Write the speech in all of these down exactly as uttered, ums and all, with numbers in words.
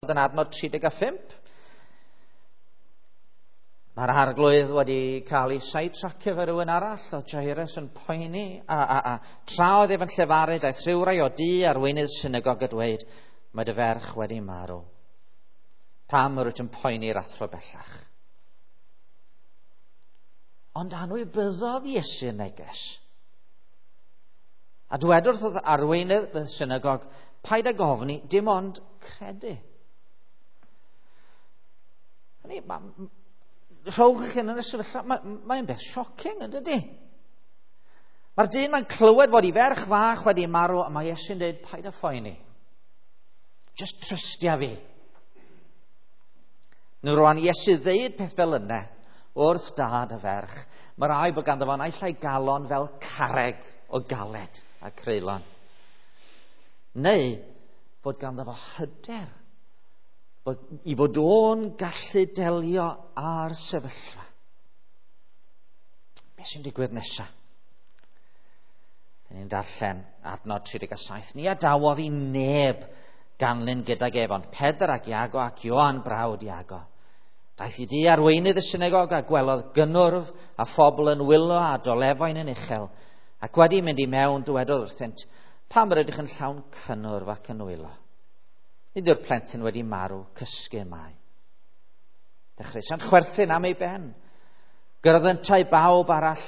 Yn adnod tri deg a phump. Mae'r arglwydd wedi cael ei sidetracio fe rhywun arall, oedd Jairus yn poeni, a, a, a tra oedd ef yn llefaru, daeth rhywrai o du arweinydd synagog a dweud, mae dy ferch wedi marw. Pam yr wyt yn poeni'r athro bellach? Ond anwybyddodd Iesu neges. A dwedodd wrth arweinydd y synagog, paid ag ofni, dim ond credu. Hynny, ma, rhowch eich hun yn y sefyllfa, mae'n mae beth shocking, yn dydy? Mae'r dyn mae'n clywed fod ei ferch fach wedi marw, a mae Iesu'n dweud, paid â phoeni. Just trystia fi. Nw rwan Iesu ddeud peth fel yna, wrth dad y ferch, mae rai bod ganddo fo naill ai galon fel carreg o galed a creulon. Neu fod ganddo fo hyder bod, i fod o'n gallu delio â'r sefyllfa. Be sy'n digwydd nesaf? Dyn ni'n darllen adnod tri deg saith. Ni adawodd i neb ganlyn gydag ef, ond Pedr ac Iago ac Ioan brawd Iago. Daeth i di arweinydd y synagog a gwelodd gynnwrf a phobl yn wylo a dolefain yn uchel, ac wedi mynd i mewn dywedodd wrthynt, pam yr ydych yn llawn cynnwrf ac yn wylo? Nid yw'r plentyn wedi marw, cysgu mae. Dechreuasant chwerthin am ei ben. Gyrraedd yntau bawb arall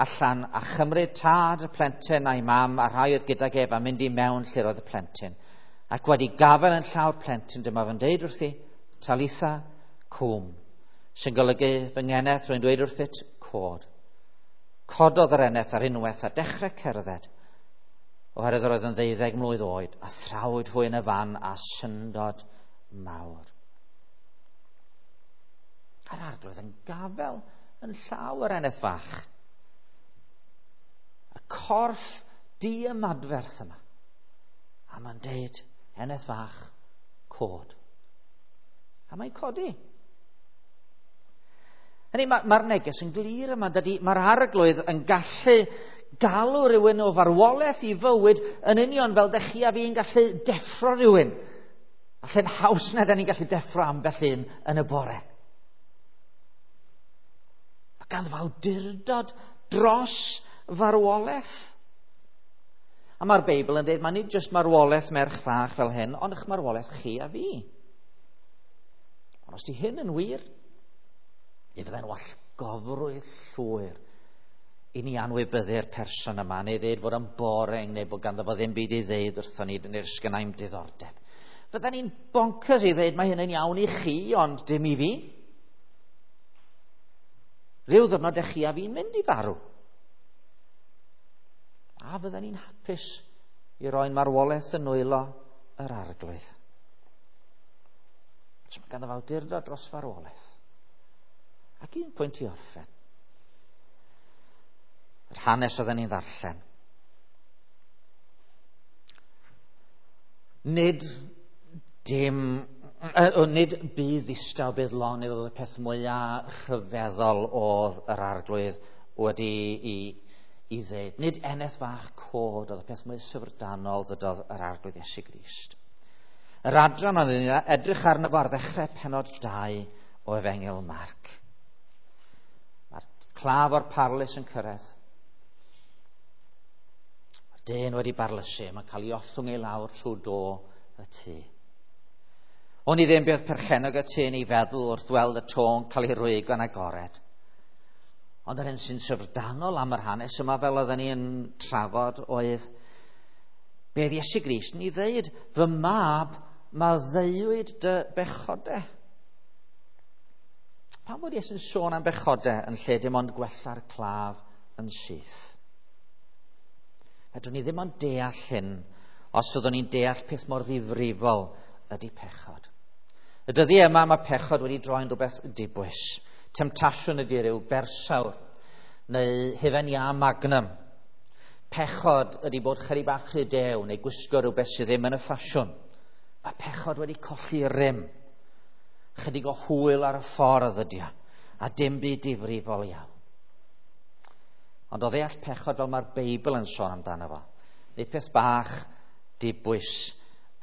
allan a chymryd tad y plentyn a'i mam a rhai oedd gydag ef a mynd i mewn lle roedd y plentyn. Ac wedi gafael yn llaw'r plentyn, dyma fe'n deud wrthi, Talitha cwm, sy'n golygu fy ngeneth, rwy'n dweud wrthyt, cod. Cododd yr eneth ar unwaith a dechrau cerdded, oherwydd yr oedd yn ddeuddeg mlwydd oed, a thrawyd hwy yn y fan a syndod mawr. A'r arglwydd yn gafel yn llaw yr eneth fach. Y corff diymadferth yma. A mae'n deud, eneth fach, cod. A mae'n codi. Hynny, mae'r ma neges yn glir yma, dydy, mae'r arglwydd yn gallu galw rhywun o farwolaeth i fywyd yn union fel dych chi a fi'n gallu deffro rhywun. Allan haws na da ni'n gallu deffro ambell un yn y bore. Mae ganddo awdurdod dros farwolaeth. A mae'r Beibl yn dweud, mae nid jyst marwolaeth merch fach fel hyn, ond eich marwolaeth chi a fi. Ond os di hyn yn wir, mi fyddai'n wallgofrwydd llwyr i ni anwybyddu'r person yma, neu ddeud fod yn boring, neu bod ganddo fo ddim byd i ddeud wrthon ni, neu'r sgynnai'm diddordeb. Fydden ni'n bonkers i ddeud mae hyn yn iawn i chi, ond dim i fi. Rhyw ddwrnod ych chi a fi'n mynd i farw. A fydden ni'n hapus i roi'n marwolaeth yn nwylo yr arglwydd. So mae ganddo fo awdurdod dros farwolaeth. Ac un pwynt i orffen. Yr hanes oedden ni'n ddarllen. Nid dim, uh, nid bydd ddistaw bydd lonydd oedd y peth mwyaf rhyfeddol oedd yr arglwydd wedi i, i ddeud. Nid eneth fach cod oedd y peth mwy syfrdanol ddydodd yr arglwydd Iesu Grist. Yr adran oedd yn edrych arno fo ar ddechrau pennod dau o Efengyl Marc. Mae'r claf o'r parlys yn cyrraedd. Mae'r dyn wedi barlysu, mae'n cael ei ollwng ei lawr trwy do y tŷ. O'n i ddim beth perchennog y tŷ yn ei feddwl wrth weld y to'n cael ei rwygo'n agored. Ond yr hyn sy'n syfrdanol am yr hanes yma, fel oedden ni yn trafod, oedd beth Iesu Grist yn ei ddeud, fy mab, maddeuwyd dy bechodau. Pam bod Iesu'n sôn am bechodau yn lle dim ond gwella'r claf yn syth? Fedrwn ni ddim ond deall hyn os fyddwn ni'n deall peth mor ddifrifol ydy pechod. Y dyddiau yma mae pechod wedi droi'n rhywbeth dibwys. Temtasiwn ydy rhyw bersawr neu hufen iâ magnum. Pechod ydy bod chydig bach rhy dew neu gwisgo rhywbeth sydd ddim yn y ffasiwn. Mae pechod wedi colli rym. Chydig o hwyl ar y ffordd ydy o, a dim byd difrifol iawn. Ond o ddeall pechod fel mae'r Beibl yn sôn amdano fo, nid peth bach dibwys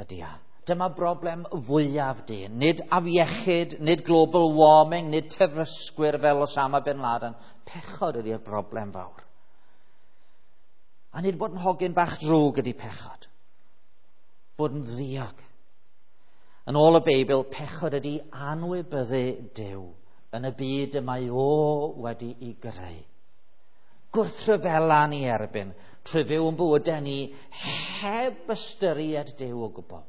ydy o. Dyma broblem fwyaf dyn. Nid afiechyd, nid global warming, nid terfysgwyr fel Osama Bin Laden. Pechod ydy'r broblem fawr. A nid bod yn hogyn bach drwg ydy pechod. Bod yn ddiog. Yn ôl y Beibl, pechod ydy anwybyddu Duw yn y byd y mae o wedi'i greu. Gwrthryfela ni erbyn trwy fyw yn bywydau ni heb ystyried Duw o gwbl.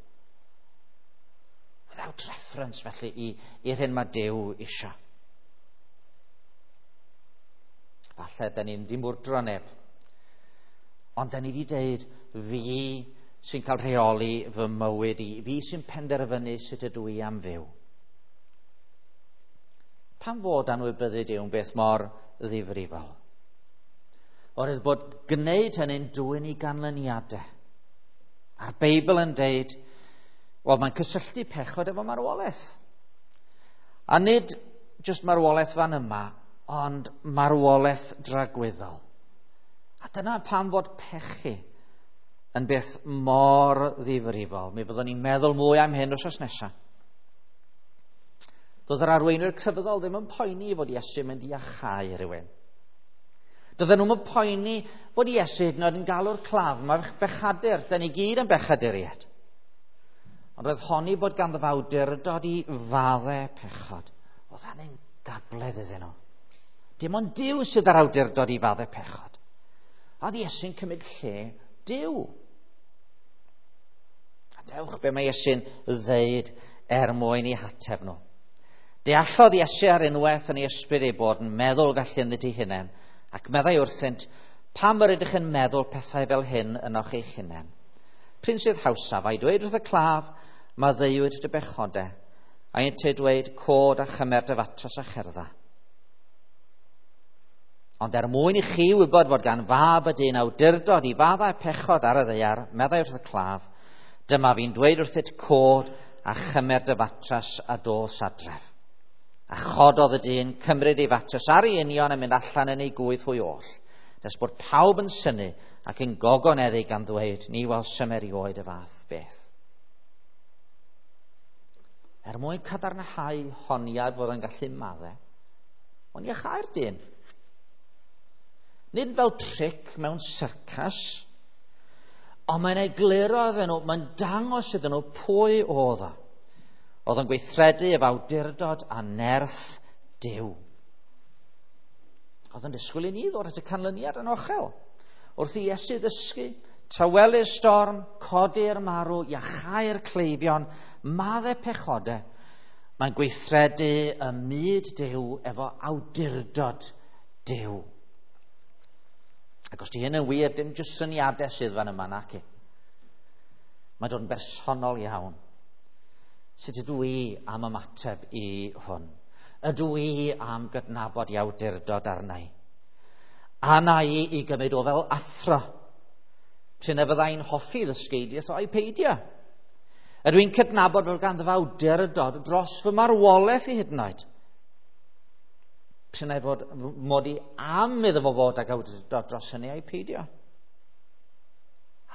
Without reference felly i'r hyn mae Duw isio. Falle da ni'n di mwrdro neb. Ond da ni wedi deud, fi sy'n cael rheoli fy mywyd i, fi sy'n penderfynu sut ydw i am fyw. Pam fod anwybyddu Duw yn beth mor ddifrifol? Oherwydd bod gwneud hynny'n dwyn i ganlyniadau. A'r Beibl yn deud, wel, mae'n cysylltu pechod efo marwolaeth. A nid jyst marwolaeth fan yma, ond marwolaeth dragwyddol. A dyna pam fod pechu yn beth mor ddifrifol. Mi fyddwn ni'n meddwl mwy am hyn wythnos nesaf. Doedd yr arweinwyr crefyddol ddim yn poeni fod Iesu'n mynd i iachau rhywun. Doedden nhw'n poeni fod Iesu hyd yn oed yn galw'r claf, mae bechadur, da ni gyd yn bechaduriaid. Ond roedd honni bod ganddo fo awdurdod i faddau pechod. Oedd hynny'n gabledd iddyn nhw. Dim ond Duw sydd â'r awdurdod i faddau pechod. A oedd Iesu'n cymryd lle Duw. A dewch be mae Iesu'n ddeud er mwyn i hateb nhw. Deallodd Iesu ar unwaith yn ei ysbryd ei bod yn meddwl felly ynddynt eu hunain, ac meddai wrthynt, pam yr ydych yn meddwl pethau fel hyn ynoch eich hunain? Pryn sydd hawsaf, a'i dweud wrth y claf, maddeuwyd dy bechodau, a ynteu dweud, cod a chymer dy fatras a cherdda. Ond er mwyn i chi wybod fod gan fab y dyn awdurdod i faddau pechod ar y ddaear, meddai wrth y claf, dyma fi'n dweud wrthyt, cod a chymer dy fatras a dos adref. A chododd y dyn, cymryd ei fatras ar ei union a mynd allan yn ei gwydd hwy oll. Nes bod pawb yn synnu ac yn gogoneddu gan ddweud, ni welsom erioed y fath beth. Er mwyn cadarnhau honiad fod yn gallu maddau, ond iachau'r dyn. Nid fel tric mewn syrcas, ond mae'n egluro iddyn nhw, mae'n dangos iddyn nhw pwy oedd o. Oedd yn gweithredu efo awdurdod a nerth Duw. Oedd yn disgwyl i ni ddod at y canlyniad yn ochel. Wrth i Iesu ddysgu, tawelu'r storm, codi'r marw, iachau'r cleifion, maddau pechodau, mae'n gweithredu ym myd Duw efo awdurdod Duw. Ac os di hyn yn wir, dim jyst syniadau sydd fan yma, naci. Mae'n dod yn bersonol iawn. Sut ydw i am ymateb i hwn? Ydw i am gydnabod i awdurdod arna i? A na i i gymryd o fel athro? Prin y fyddai'n hoffi ddysgeidiaeth o'i peidio? Ydw i'n cydnabod bod ganddo fo awdurdod dros fy marwolaeth i hyd yn oed? Prin ei fod mod i am iddo fo fod ag awdurdod dros hynny a'i peidio?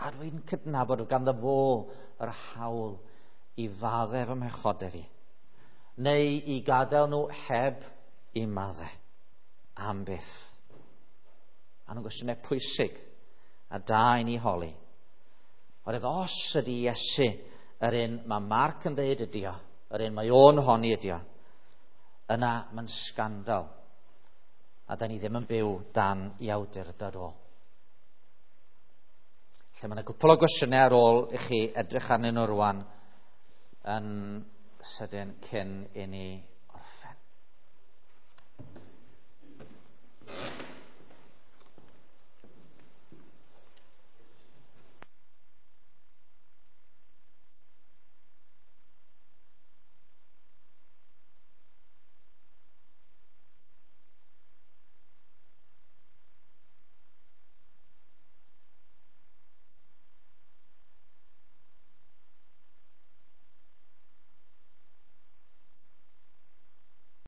A dw i'n cydnabod bod ganddo fo yr hawl i faddau fy mhechodau fi, neu i gadael nhw heb i maddau am byth. A nhw'n gwestiynau pwysig a da i ni holi. Oherwydd os ydy Iesu yr un mae Marc yn dweud ydy o, yr un mae o'n honni ydy o, yna mae'n sgandal. A da ni ddim yn byw dan i awdurdod o. Lle mae yna gwpl o gwestiynau ar ôl i chi edrych arnyn nhw rwan yn sydyn cyn i ni